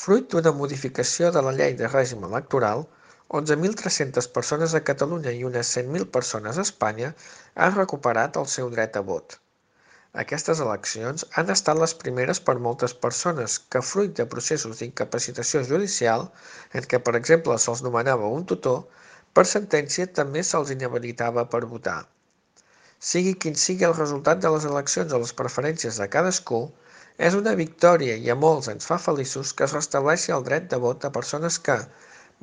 Fruit d'una modificació de la llei de règim electoral, 11.300 persones a Catalunya i unes 100.000 persones a Espanya han recuperat el seu dret a vot. Aquestes eleccions han estat les primeres per moltes persones que, fruit de processos d'incapacitació judicial, en què per exemple se'ls nomenava un tutor, per sentència també se'ls inhabilitava per votar. Sigui quin sigui el resultat de les eleccions o les preferències de cadascú, és una victòria i a molts ens fa feliços que es restableixi el dret de vot a persones que,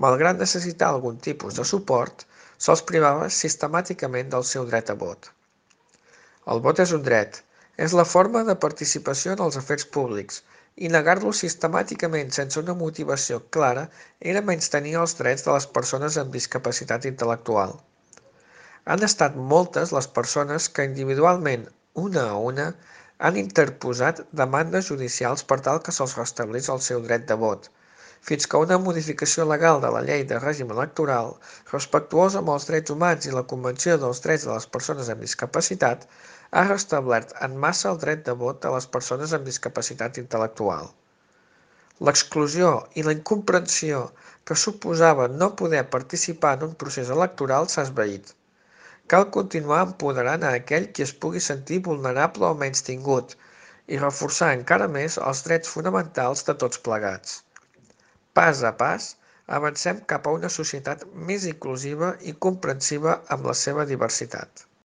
malgrat necessitar algun tipus de suport, se'ls privava sistemàticament del seu dret a vot. El vot és un dret, és la forma de participació en els afers públics, i negar-lo sistemàticament sense una motivació clara era menystenir els drets de les persones amb discapacitat intel·lectual. Han estat moltes les persones que individualment, una a una, han interposat demandes judicials per tal que se'ls restablís el seu dret de vot, fins que una modificació legal de la llei de règim electoral, respectuosa amb els drets humans i la Convenció dels Drets de les Persones amb Discapacitat, ha restablert en massa el dret de vot de les persones amb discapacitat intel·lectual. L'exclusió i la incomprensió que suposava no poder participar en un procés electoral s'ha esvaït. Cal continuar empoderant a aquell qui es pugui sentir vulnerable o menystingut i reforçar encara més els drets fonamentals de tots plegats. Pas a pas, avancem cap a una societat més inclusiva i comprensiva amb la seva diversitat.